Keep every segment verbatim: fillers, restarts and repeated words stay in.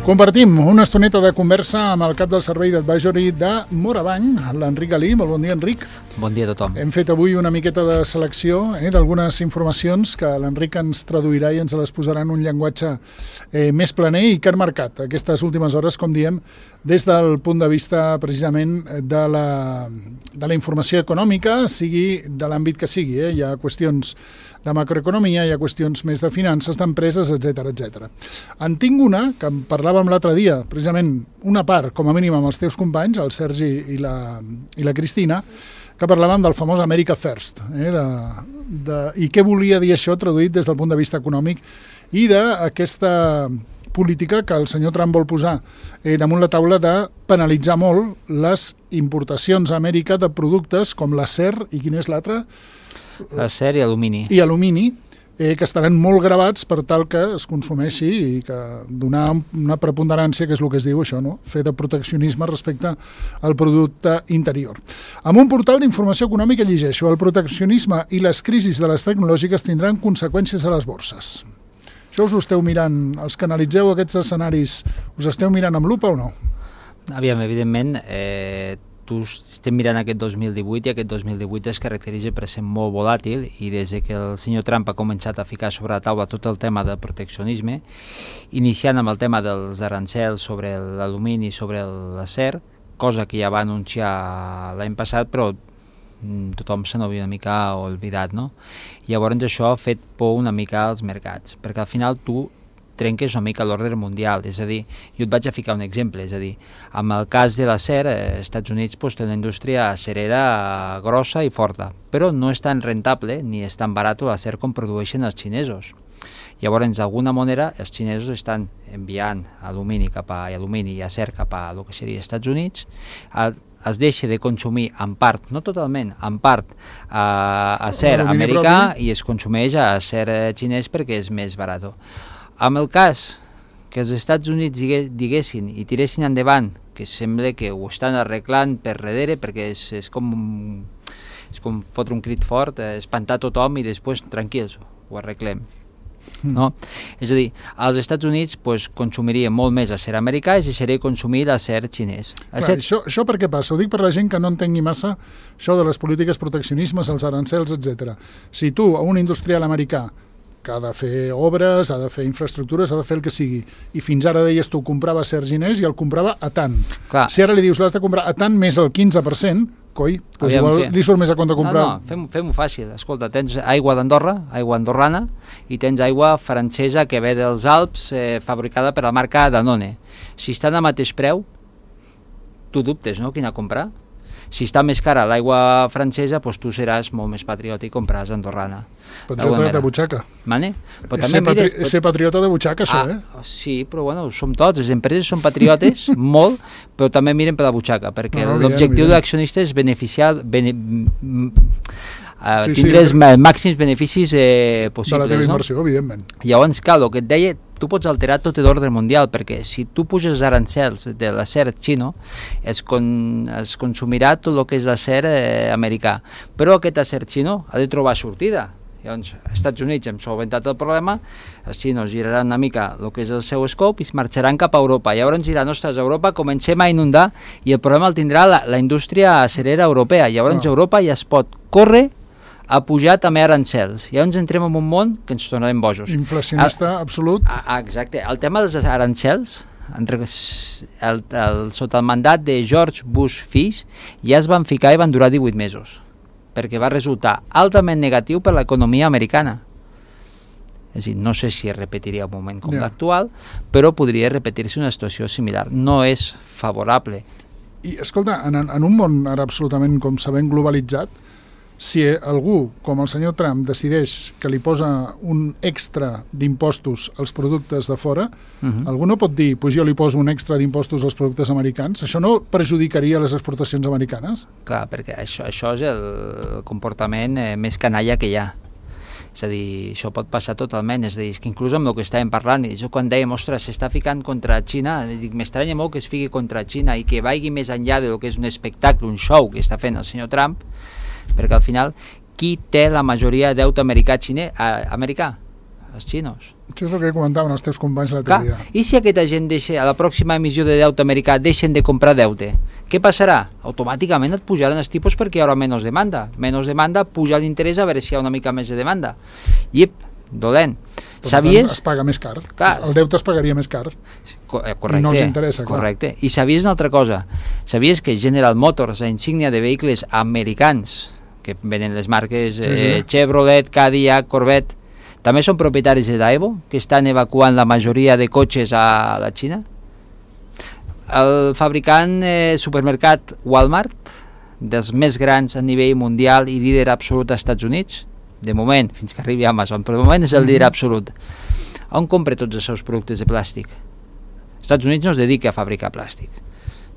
Compartim una estoneta de conversa amb el cap del servei d'advisory de Morabanc, l'Enric Galí. Molt bon dia, Enric. Bon dia a tothom. Hem fet avui una miqueta de selecció eh, d'algunes informacions que l'Enric ens traduirà i ens les posarà en un llenguatge eh, més planer i que han marcat aquestes últimes hores, com diem, des del punt de vista precisament de la, de la informació econòmica, sigui de l'àmbit que sigui. Eh? Hi ha qüestions de macroeconomia, hi ha qüestions més de finances, d'empreses, etcètera, etcètera. En tinc una, que en parlàvem l'altre dia, precisament una part, com a mínim amb els teus companys, el Sergi i la, i la Cristina, que parlàvem del famós America First, eh, de, de, i què volia dir això traduït des del punt de vista econòmic i d'aquesta política que el senyor Trump vol posar eh, damunt la taula de penalitzar molt les importacions a Amèrica de productes com l'acer i quin és l'altre? Acer i alumini. I alumini, eh, que estaran molt gravats per tal que es consumeixi i que donar una preponderància, que és el que es diu això, no? Fer de proteccionisme respecte al producte interior. Amb un portal d'informació econòmica llegeixo: el proteccionisme i les crisis de les tecnològiques tindran conseqüències a les borses. Això us ho esteu mirant, els que analitzeu aquests escenaris, us esteu mirant amb lupa o no? Aviam, evidentment, eh, tu estem mirant aquest dos mil divuit i aquest dos mil divuit es caracteritza per ser molt volàtil i des que el senyor Trump ha començat a ficar sobre la taula tot el tema del proteccionisme, iniciant amb el tema dels arancels sobre l'alumini i sobre l'acer, cosa que ja va anunciar l'any passat, però tothom se n'havia una mica oblidat, no? Llavors això ha fet por una mica als mercats, perquè al final tu trenques una mica l'ordre mundial, és a dir, jo et vaig a ficar un exemple, és a dir, amb el cas de l'acer, als Estats Units pues, té una indústria acerera grossa i forta, però no és tan rentable ni és tan barat l'acer com produeixen els xinesos. Llavors, d'alguna manera, els xinesos estan enviant alumini cap a alumini i acer cap a el que seria els Estats Units, a, es deixa de consumir en part, no totalment, en part a acer americà i es consumeix a acer xinès perquè és més barat. Amb el cas que els Estats Units diguessin i tiressin endavant, que sembla que ho estan arreglant per darrere, perquè és, és, com, és com fotre un crit fort, espantar tothom i després tranquils, ho arreglem. No? És a dir, als Estats Units pues, consumiria molt més acer americà i deixaria consumir l'acer xinès. Clar, això, això per què passa? Ho dic per la gent que no entengui massa això de les polítiques proteccionismes, els arancels, etcètera. Si tu, a un industrial americà, que ha de fer obres, ha de fer infraestructures, ha de fer el que sigui, i fins ara deies tu comprava acer xinès i el comprava a tant. Clar. Si ara li dius l'has de comprar a tant més el quinze per cent, coi, doncs Aviam, igual li surt més a compte comprar... No, no, fem-ho fem fàcil. Escolta, tens aigua d'Andorra, aigua andorrana, i tens aigua francesa que ve dels Alps, eh, fabricada per la marca Danone. Si estan al mateix preu, tu dubtes, no?, quina comprar. Si està més cara l'aigua francesa, doncs tu seràs molt més patriòtic i compraràs andorrana. Patriota de butxaca. Mane? Però també ser, mires, patri ser patriota de butxaca, això, ah, eh? Sí, però bueno, som tots, les empreses són patriotes, molt, però també miren per la butxaca, perquè no, no, l'objectiu no, de l'accionista és beneficiar, bene, uh, sí, tindre sí, els màxims beneficis eh, possibles. De la teva inversió, no? Evidentment. Llavors, clar, el que et deia, tu pots alterar tot l'ordre mundial, perquè si tu puges arancels de l'acer xino, es, con, es consumirà tot el que és l'acer eh, americà. Però aquest acer xino ha de trobar sortida. Llavors, als Estats Units hem solventat el problema, els xinos giraran una mica el que és el seu scope i es marxaran cap a Europa. Llavors diran, ostres, a Europa comencem a inundar i el problema el tindrà la, la indústria acerera europea. Llavors, no. Europa ja es pot córrer a pujar també arancels. Llavors entrem en un món que ens tornarem bojos. Inflacionista, el, absolut. Ah, exacte. El tema dels arancels, el, el, sota el mandat de George Bush fills, ja es van ficar i van durar divuit mesos, perquè va resultar altament negatiu per l'economia americana. És a dir, no sé si es repetiria un moment com yeah. l'actual, però podria repetir-se una situació similar. No és favorable. I, escolta, en, en un món ara absolutament, com sabem, globalitzat, si algú, com el senyor Trump, decideix que li posa un extra d'impostos als productes de fora, uh-huh. algú no pot dir, pues jo li poso un extra d'impostos als productes americans? Això no perjudicaria les exportacions americanes? Clar, perquè això, això és el comportament eh, més canalla que hi ha. És a dir, això pot passar totalment, és a dir, és que inclús amb el que estàvem parlant, i jo quan dèiem, ostres, s'està ficant contra Xina, m'estranya molt que es fiqui contra Xina i que vagi més enllà del que és un espectacle, un show que està fent el senyor Trump, perquè al final, qui té la majoria de deute americà, xine, eh, americà? Els xinos. Això és el que comentaven els teus companys l'altre dia. I si aquesta gent deixa, a la pròxima emissió de deute americà deixen de comprar deute, què passarà? Automàticament et pujaran els tipus perquè hi haurà menys demanda. Menys demanda, puja l'interès a veure si hi ha una mica més de demanda. Iep, dolent. Per Sabies... tant, es paga més car. Clar. El deute es pagaria més car. Correcte, I no els interessa, clar. Correcte. I sabies una altra cosa? Sabies que General Motors, la insígnia de vehicles americans, que venen les marques sí, sí. Eh, Chevrolet, Cadillac, Corvette, també són propietaris de Daewoo, que estan evacuant la majoria de cotxes a la Xina? El fabricant eh, supermercat Walmart, dels més grans a nivell mundial i líder absolut als Estats Units, de moment, fins que arribi Amazon, però de moment és el líder absolut. On compra tots els seus productes de plàstic? Els Estats Units no es dedica a fabricar plàstic,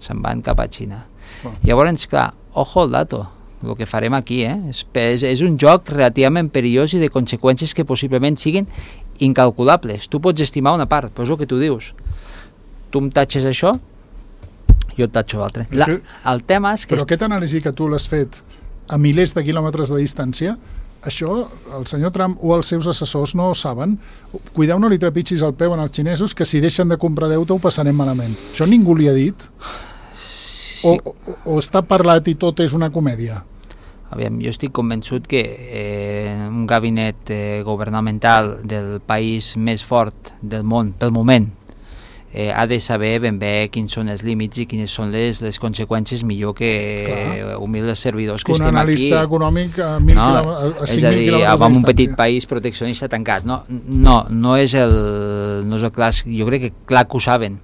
se'n van cap a Xina. Oh. Llavors, clar, ojo al dato, el que farem aquí, eh? és, és, és un joc relativament perillós i de conseqüències que possiblement siguin incalculables. Tu pots estimar una part, però és el que tu dius. Tu em tatxes això, jo et tatxo l'altre. La, el tema és que... Però aquest anàlisi que tu l'has fet a milers de quilòmetres de distància, això el senyor Trump o els seus assessors no ho saben. Cuideu, no li trepitgis el peu als xinesos, que si deixen de comprar deute ho passarem malament. Això ningú li ha dit? Sí. O, o, o està parlat i tot és una comèdia? Aviam, jo estic convençut que eh, un gabinet eh, governamental del país més fort del món, pel moment, eh, ha de saber ben bé quins són els límits i quines són les, les conseqüències millor que eh, humils servidors que, que estem aquí. Un analista econòmic a, mil no, a, a cinc mil quilòmetres de distància. Un petit país proteccionista tancat. No, no, no és el, no és el clar, jo crec que clar que ho saben.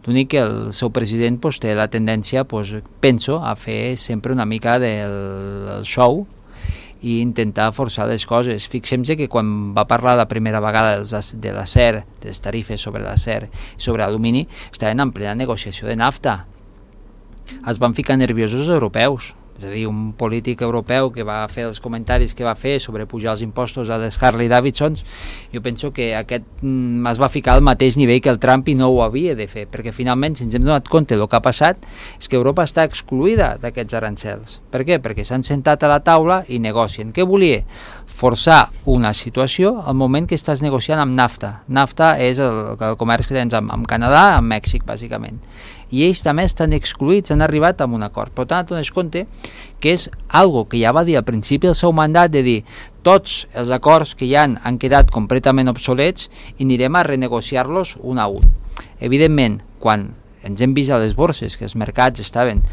L'únic que el seu president pues, té la tendència, pues, penso, a fer sempre una mica del show i intentar forçar les coses. Fixem-se que quan va parlar la primera vegada de l'acer, de les tarifes sobre l'acer i sobre l'alumini, estaven en plena negociació de nafta. Es van ficar nerviosos els europeus. És a dir, un polític europeu que va fer els comentaris que va fer sobre pujar els impostos a les Harley Davidsons, jo penso que aquest mm, es va ficar al mateix nivell que el Trump i no ho havia de fer, perquè finalment, si ens hem donat compte del que ha passat, és que Europa està excluïda d'aquests arancels. Per què? Perquè s'han sentat a la taula i negocien. Què volia? Forçar una situació al moment que estàs negociant amb NAFTA. NAFTA és el, el comerç que tens amb, amb Canadà, amb Mèxic, bàsicament. I ells també estan excluïts, han arribat a un acord. Per tant, dones compte que és algo que ja va dir al principi del seu mandat, de dir tots els acords que hi han han quedat completament obsolets i anirem a renegociar-los un a un. Evidentment, quan ens hem vist a les borses que els mercats estaven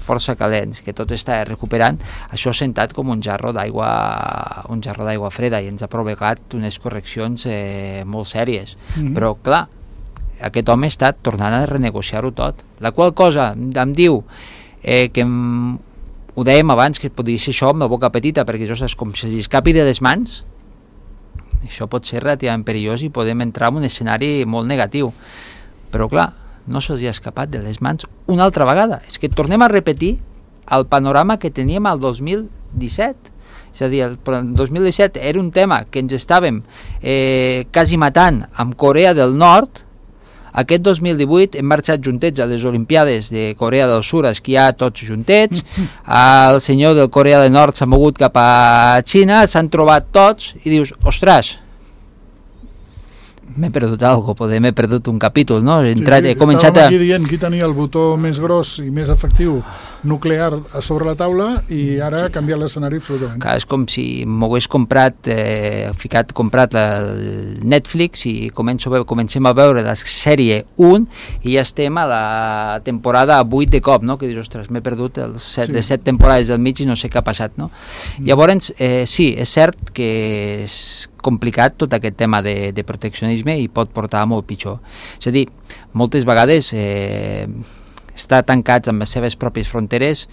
força calents, que tot està recuperant, això ha sentat com un jarro d'aigua un jarro d'aigua freda i ens ha provocat unes correccions eh, molt sèries. Mm-hmm. Però, clar, aquest home està tornant a renegociar-ho tot. La qual cosa em diu eh, que em, ho dèiem abans, que podria ser això amb la boca petita, perquè això és com si escapi de les mans. Això pot ser relativament perillós i podem entrar en un escenari molt negatiu. Però, clar, no se'ls ha escapat de les mans una altra vegada. És que tornem a repetir el panorama que teníem al dos mil disset. És a dir, el dos mil disset era un tema que ens estàvem eh, quasi matant amb Corea del Nord. Aquest dos mil divuit hem marxat juntets a les Olimpiades de Corea del Sur a esquiar tots juntets. El senyor del Corea del Nord s'ha mogut cap a Xina, s'han trobat tots i dius, ostres, m'he perdut alguna cosa, m'he perdut un capítol, no? He, entrat, sí, sí, he començat a... aquí dient qui tenia el botó més gros i més efectiu nuclear a sobre la taula i ara ha canviat l'escenari absolutament. Clar, és com si m'ho hagués comprat, eh, ficat, comprat el Netflix i començo, comencem a veure la sèrie un i ja estem a la temporada vuit de cop, no? Que dius, ostres, m'he perdut els set, sí. de set temporades del mig i no sé què ha passat, no? Mm. Llavors, eh, sí, és cert que és complicat tot aquest tema de, de proteccionisme i pot portar a molt pitjor. És a dir, moltes vegades eh, estar tancats amb les seves pròpies fronteres,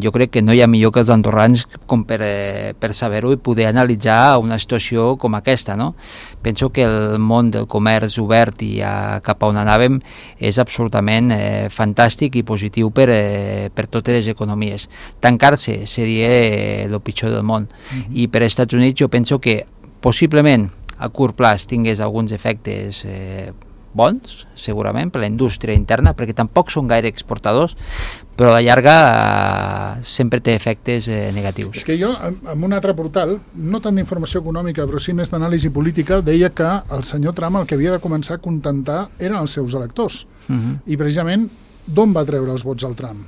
jo crec que no hi ha millor que els andorrans com per, eh, per saber-ho i poder analitzar una situació com aquesta, no? Penso que el món del comerç obert i a, cap a on anàvem és absolutament eh, fantàstic i positiu per, eh, per totes les economies. Tancar-se seria eh, el pitjor del món. Mm-hmm. I per als Estats Units jo penso que possiblement a curt plaç tingués alguns efectes eh, bons, segurament, per la indústria interna, perquè tampoc són gaire exportadors, però a la llarga eh, sempre té efectes eh, negatius. És que jo, en un altre portal, no tant d'informació econòmica, però sí més d'anàlisi política, deia que el senyor Trump el que havia de començar a contentar eren els seus electors. Uh-huh. I precisament, d'on va treure els vots al Trump?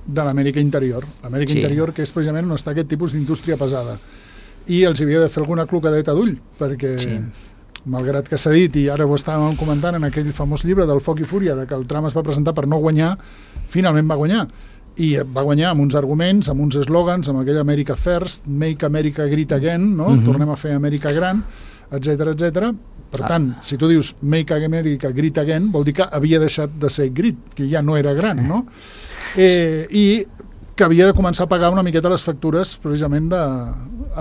De l'Amèrica interior. L'Amèrica sí. interior, que és precisament on està aquest tipus d'indústria pesada. I els havia de fer alguna clocadeta d'ull, perquè... Sí. Malgrat que s'ha dit, i ara ho estàvem comentant en aquell famós llibre del Foc i Fúria, de que el Trump es va presentar per no guanyar, finalment va guanyar. I va guanyar amb uns arguments, amb uns eslògans, amb aquell America First, Make America Great Again, no? Uh-huh. Tornem a fer Amèrica gran, etcètera, etcètera. Per tant, ah. si tu dius Make America Great Again, vol dir que havia deixat de ser great, que ja no era gran, no? Eh, I que havia de començar a pagar una miqueta les factures, precisament, de,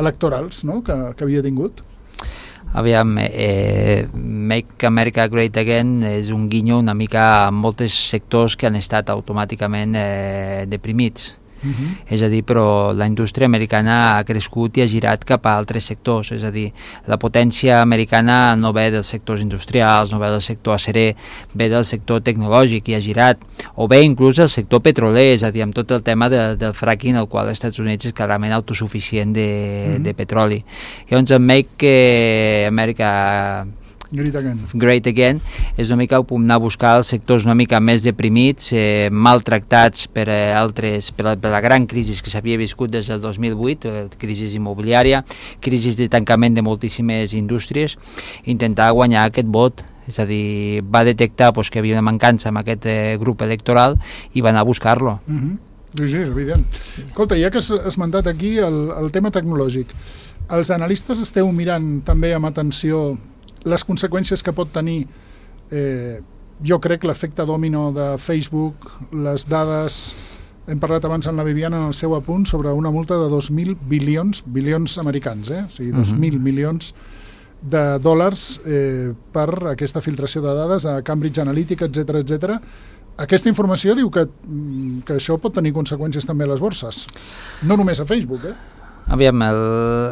electorals, no? que, que havia tingut. Aviam, eh, Make America Great Again és un guinyo una mica a molts sectors que han estat automàticament eh, deprimits. Uh-huh. És a dir, però la indústria americana ha crescut i ha girat cap a altres sectors, és a dir, la potència americana no ve dels sectors industrials, no ve del sector acerer, ve del sector tecnològic i ha girat, o bé inclús el sector petroler, és a dir, amb tot el tema de, del fracking, el qual als Estats Units és clarament autosuficient de, uh-huh. de petroli. Llavors, el Make America Great Again. Great Again és una mica anar a buscar els sectors una mica més deprimits, eh, maltractats per, eh, altres, per, la, per la gran crisi que s'havia viscut des del dos mil vuit, eh, crisi immobiliària, crisi de tancament de moltíssimes indústries, intentar guanyar aquest vot. És a dir, va detectar pues, que hi havia una mancança en aquest eh, grup electoral i va anar a buscar-lo. Uh-huh. Sí, sí, és evident. Escolta, ja que has esmentat aquí el, el tema tecnològic, els analistes esteu mirant també amb atenció les conseqüències que pot tenir, eh, jo crec, l'efecte dòmino de Facebook, les dades, hem parlat abans amb la Viviana en el seu apunt sobre una multa de dos mil bilions, bilions americans, eh? O sigui, dos mil uh-huh. milions de dòlars eh, per aquesta filtració de dades a Cambridge Analytica, etcètera, etcètera. Aquesta informació diu que, que això pot tenir conseqüències també a les borses, no només a Facebook, eh? Aviam, el,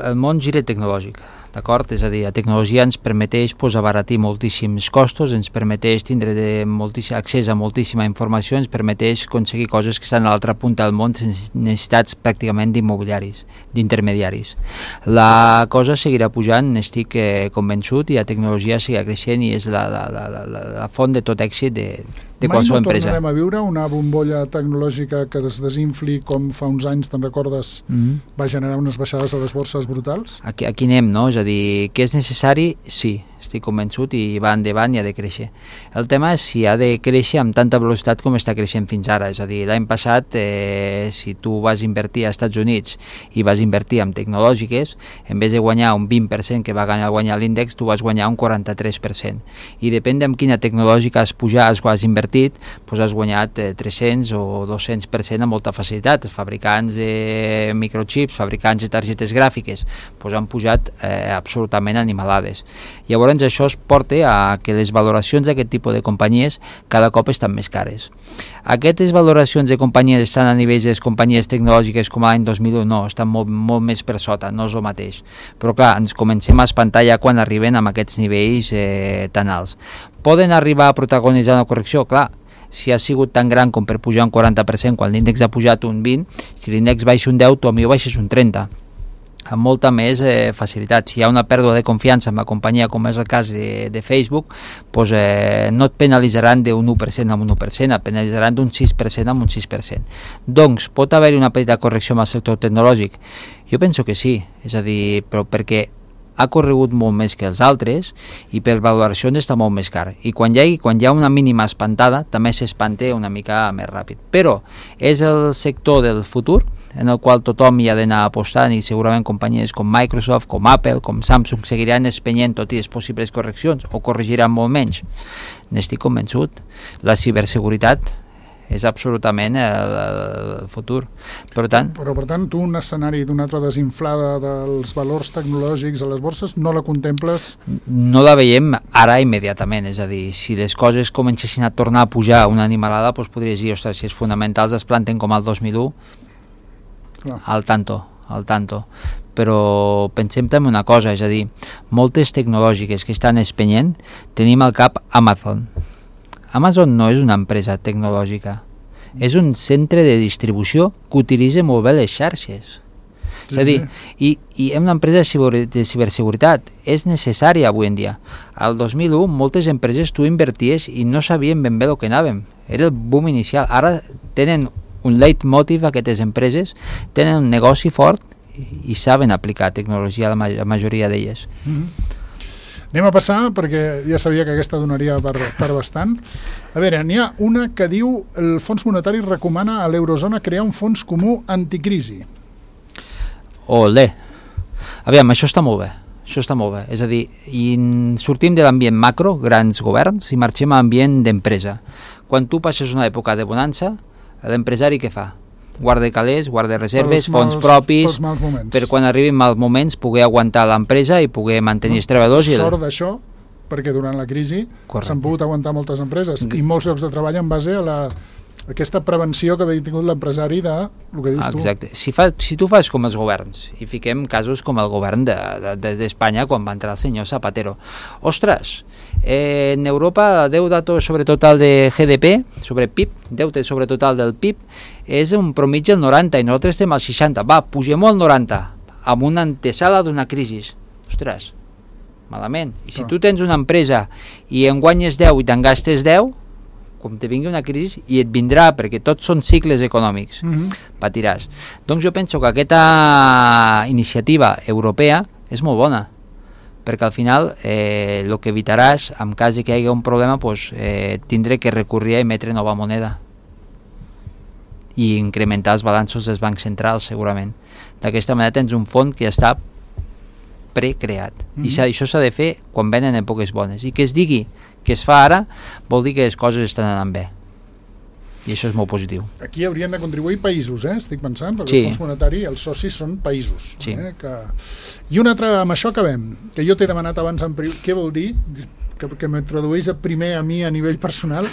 el món gira tecnològic, d'acord? És a dir, la tecnologia ens permeteix pues, abaratir moltíssims costos, ens permeteix tindre de moltíssim, accés a moltíssima informació, ens permeteix aconseguir coses que estan a l'altra punta del món sense necessitats pràcticament d'immobiliaris, d'intermediaris. La cosa seguirà pujant, n'estic eh, convençut, i la tecnologia seguirà creixent i és la, la, la, la, la font de tot èxit de, de qualsevol empresa. Mai no tornarem a viure una bombolla tecnològica que es desinfli com fa uns anys, te'n recordes, mm-hmm. va generar unes baixades a les borses brutals? Aquí, aquí anem, no? És a dir, que és necessari? Sí, estic convençut i va endavant i ha de créixer. El tema és si ha de créixer amb tanta velocitat com està creixent fins ara. És a dir, l'any passat, eh, si tu vas invertir als Estats Units i vas invertir en tecnològiques, en vez de guanyar un vint per cent que va guanyar l'índex, tu vas guanyar un quaranta-tres per cent. I depèn de quina tecnològica has pujat, has invertit, doncs has guanyat eh, tres-cents o dos-cents per cent amb molta facilitat. Els fabricants de microchips, fabricants de targetes gràfiques, doncs han pujat eh, absolutament animalades. Llavors, això es porta a que les valoracions d'aquest tipus de companyies cada cop estan més cares. Aquestes valoracions de companyies estan a nivells de les companyies tecnològiques com l'any dos mil u? No, estan molt, molt més per sota, no és el mateix. Però clar, ens comencem a espantar ja quan arriben a aquests nivells eh, tan alts. Poden arribar a protagonitzar una correcció? Clar, si ha sigut tan gran com per pujar un quaranta per cent quan l'índex ha pujat un vint, si l'índex baixa un deu, tu a mi ho baixes un trenta per cent. Amb molta més eh, facilitat. Si hi ha una pèrdua de confiança en la companyia, com és el cas de, de Facebook, doncs, eh, no et penalitzaran d'un u per cent a un u per cent, et penalitzaran d'un sis per cent a un sis per cent. Doncs pot haver-hi una petita correcció en el sector tecnològic? Jo penso que sí, és a dir, però perquè ha corregut molt més que els altres i per valoracions està molt més car. I quan hi ha, quan hi ha una mínima espantada, també s'espanta una mica més ràpid. Però és el sector del futur en el qual tothom hi ha d'anar apostant i segurament companyies com Microsoft, com Apple, com Samsung seguiran espenyent tot i les possibles correccions o corregiran molt menys. N'estic convençut. La ciberseguretat és absolutament el, el futur. Per tant, però per tant, tu un escenari d'una altra desinflada dels valors tecnològics a les borses no la contemples? No la veiem ara immediatament, és a dir, si les coses comencessin a tornar a pujar una animalada, doncs podries dir, ostres, si els fonamentals es planten com el dos mil u, clar. al tanto, al tanto. Però pensem també una cosa, és a dir, moltes tecnològiques que estan espenyent, tenim al cap Amazon. Amazon no és una empresa tecnològica, És un centre de distribució que utilitza molt bé les xarxes. Sí, és a dir, sí. i, i una empresa de ciberseguretat és necessària avui en dia. Al dos mil u moltes empreses tu inverties i no sabien ben bé el que anàvem. Era el boom inicial. Ara tenen un leitmotiv aquestes empreses, tenen un negoci fort i, i saben aplicar tecnologia a la, ma la majoria d'elles. Mm-hmm. Anem a passar, perquè ja sabia que aquesta donaria per, per bastant. A veure, n'hi ha una que diu el Fons Monetari recomana a l'eurozona crear un fons comú anticrisi. Olé. Aviam, això està molt bé. Això està molt bé. És a dir, i sortim de l'ambient macro, grans governs, i marxem a l'ambient d'empresa. Quan tu passes una època de bonança, l'empresari què fa? Guarda calés, guarda reserves, pels fons mals, propis, per quan arribin mals moments poder aguantar l'empresa i poder mantenir no, els treballadors. Sort i... d'això, perquè durant la crisi s'han pogut aguantar moltes empreses i molts llocs de treball en base a la... aquesta prevenció que havia tingut l'empresari de el que dius tu. Exacte. Si, fa, si tu fas com els governs, i fiquem casos com el govern d'Espanya de, de, quan va entrar el senyor Zapatero, ostres, eh, en Europa el deute sobre total de G D P, sobre P I B, deute sobre total del P I B, és un promig del noranta i nosaltres estem al seixanta. Va, pugem-ho al noranta, amb una antesala d'una crisi. Ostres, malament. I si oh. tu tens una empresa i en guanyes deu i te'n gastes deu, quan te vingui una crisi, i et vindrà, perquè tots són cicles econòmics, mm-hmm. patiràs. Doncs jo penso que aquesta iniciativa europea és molt bona, perquè al final el eh, que evitaràs, en cas que hi hagi un problema, pues, eh, tindré que recurrir a emetre nova moneda i incrementar els balanços dels bancs centrals, segurament. D'aquesta manera tens un fons que ja està precreat. Mm-hmm. I això s'ha de fer quan venen èpoques bones. I que es digui que es fa ara, vol dir que les coses estan anant bé. I això és molt positiu. Aquí haurien de contribuir països, eh? Estic pensant, perquè sí. El Fons Monetari, els socis són països. Sí. Eh? Que... I un altre, amb això acabem, que jo t'he demanat abans en privat, què vol dir? Que, que m'introdueix primer a mi a nivell personal,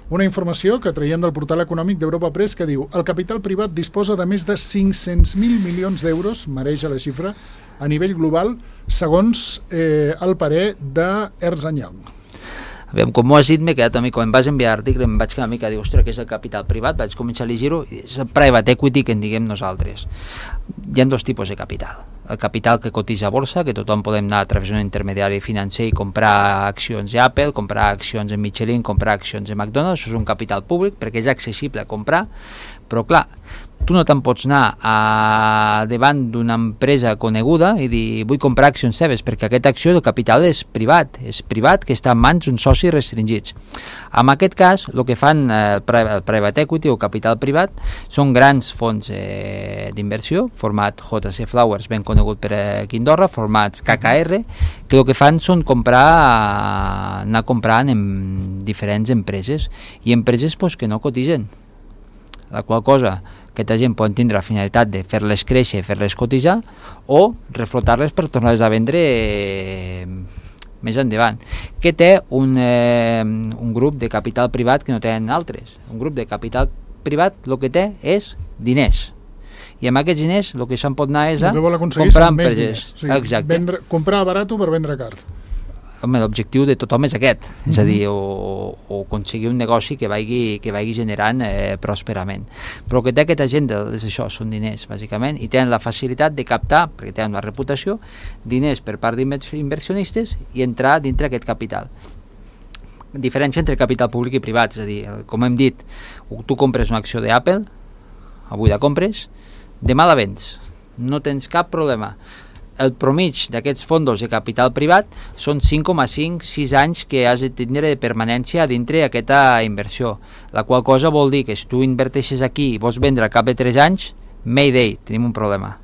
una informació que traiem del portal econòmic d'Europa Press que diu el capital privat disposa de més de cinc-cents mil milions d'euros, mereix la xifra, a nivell global, segons eh, el parer d'Ernst and Young. Aviam, com m'ho has dit, m'he quedat a mi, quan em vas enviar l'article em vaig quedar una mica a dir, ostres, què és el capital privat? Vaig començar a llegir-ho, és el private equity que en diguem nosaltres. Hi ha dos tipus de capital. El capital que cotitza a borsa, que tothom podem anar a través d'un intermediari financer i comprar accions d'Apple, comprar accions de Michelin, comprar accions de McDonald's, això és un capital públic perquè és accessible a comprar, però clar, tu no te'n pots anar a, davant d'una empresa coneguda i dir vull comprar accions seves, perquè aquesta acció del capital és privat, és privat que està en mans d'uns socis restringits. En aquest cas, el que fan eh, el private equity o capital privat són grans fons eh, d'inversió, format J C Flowers, ben conegut per aquí a Andorra, formats K K R, que el que fan són comprar, anar comprant en diferents empreses, i empreses pues, que no cotitzen, la qual cosa aquesta gent pot tindre la finalitat de fer-les créixer, fer-les cotitzar, o reflotar-les per tornar-les a vendre eh, més endavant. Que té un, eh, un grup de capital privat que no tenen altres. Un grup de capital privat el que té és diners. I amb aquests diners el que se'n pot anar és a comprar empreses. O sigui, Exacte. Vendre, comprar barat per vendre car. Home, l'objectiu de tothom és aquest, mm-hmm. és a dir, o, o aconseguir un negoci que vagi, que vagi generant eh, pròsperament. Però el que té aquesta gent és això, són diners, bàsicament, i tenen la facilitat de captar, perquè tenen una reputació, diners per part d'inversionistes i entrar dintre aquest capital. Diferència entre capital públic i privat, és a dir, com hem dit, tu compres una acció d'Apple, avui la compres, demà la vens, no tens cap problema. El promig d'aquests fondos de capital privat són cinc coma cinc a sis anys que has de tindre de permanència dintre d'aquesta inversió, la qual cosa vol dir que si tu inverteixes aquí i vols vendre al cap de tres anys, mayday, tenim un problema.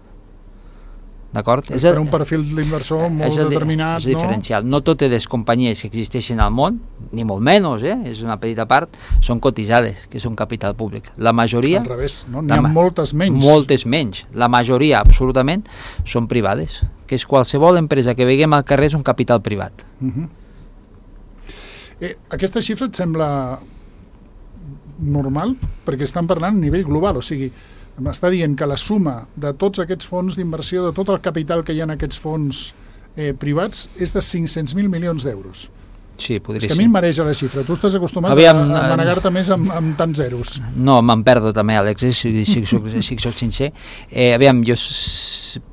D'acord? És per un perfil d'inversor molt el, determinat, és diferencial. No? No totes les companyies que existeixen al món, ni molt menys, eh? És una petita part, són cotitzades, que són capital públic. La majoria... Al revés, no? N'hi ha moltes menys. Moltes menys. La majoria, absolutament, són privades. Que és qualsevol empresa que veiem al carrer és un capital privat. Uh-huh. eh, aquesta xifra et sembla normal? Perquè estan parlant a nivell global, o sigui... M'està dient que la suma de tots aquests fons d'inversió, de tot el capital que hi ha en aquests fons eh, privats, és de cinc-cents mil milions d'euros. Sí, podria ser. És que a ser. mi em mareja la xifra. Tu estàs acostumat Aviam, a, a manegar-te més amb, amb tants zeros. No, me'n perdo també, Àlex, eh, si, si, si, si soc sincer. Eh, aviam, jo,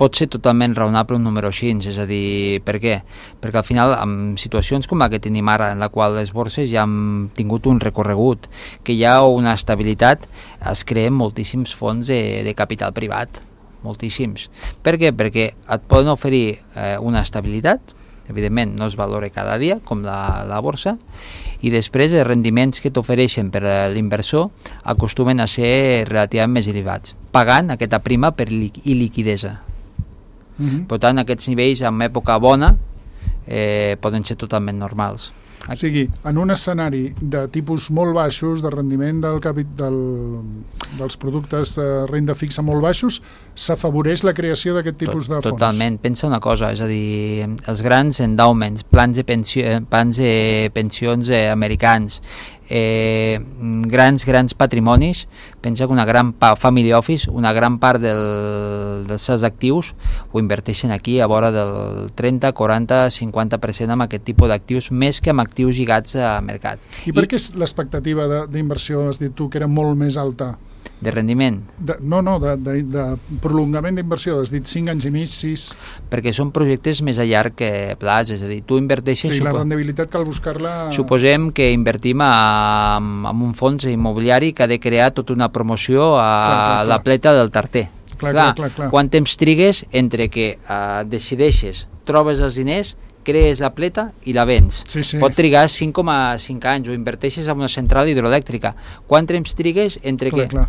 pot ser totalment raonable un número així, és a dir, per què? Perquè al final, en situacions com la que tenim ara, en la qual les borses ja han tingut un recorregut, que hi ha una estabilitat, es creen moltíssims fons de, de capital privat, moltíssims. Per què? Perquè et poden oferir eh, una estabilitat, evidentment no es valora cada dia, com la, la borsa, i després els rendiments que t'ofereixen per a l'inversor acostumen a ser relativament més elevats, pagant aquesta prima per li liquidesa. Mm-hmm. Per tant, aquests nivells en època bona eh, poden ser totalment normals. O sigui, en un escenari de tipus molt baixos, de rendiment del capit del, dels productes de renda fixa molt baixos, s'afavoreix la creació d'aquest tipus de fons. Totalment. Pensa una cosa, és a dir, els grans endowments, plans de, pensió, plans de pensions eh, americans, eh, grans, grans patrimonis, pensa que una gran family office, una gran part del, dels seus actius ho inverteixen aquí a vora del trenta, quaranta, cinquanta per cent amb aquest tipus d'actius, més que amb actius lligats a mercat. I per què l'expectativa d'inversió, has dit tu, que era molt més alta? De rendiment? De, no, no, de, de, de prolongament d'inversió, has dit cinc anys i mig, sis... Perquè són projectes més a llarg que plaç, és a dir, tu inverteixes... Sí, la rendibilitat cal buscar-la... Suposem que invertim en un fons immobiliari que ha de crear tota una promoció a clar, clar, clar. la pleta del Tarter. Clar, clar, clar, clar, clar. Quant temps trigues entre que uh, decideixes, trobes els diners, crees la pleta i la vens. Sí, sí. Pot trigar cinc coma cinc anys, o inverteixes en una central hidroelèctrica. Quant temps trigues entre clar, que... Clar.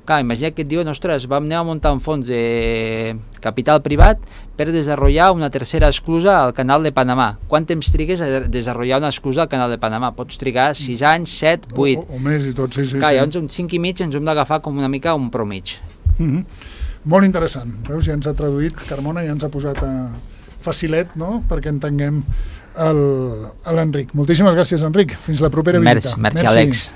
Clar, imagina que et diuen, ostres, vam anar a muntar un fons de capital privat per desenvolupar una tercera esclusa al canal de Panamà. Quant temps trigues a desenvolupar una esclusa al canal de Panamà? Pots trigar sis anys, set, vuit. O, o més i tot, sí, sí. Clar, sí. llavors un cinc i mig ens hem d'agafar com una mica un promig. Mm-hmm. Molt interessant. Veus, ja ens ha traduït, Carmona, ja ens ha posat a facilet, no?, perquè entenguem l'Enric. Moltíssimes gràcies, Enric. Fins la propera visita. Merci, merci, Àlex.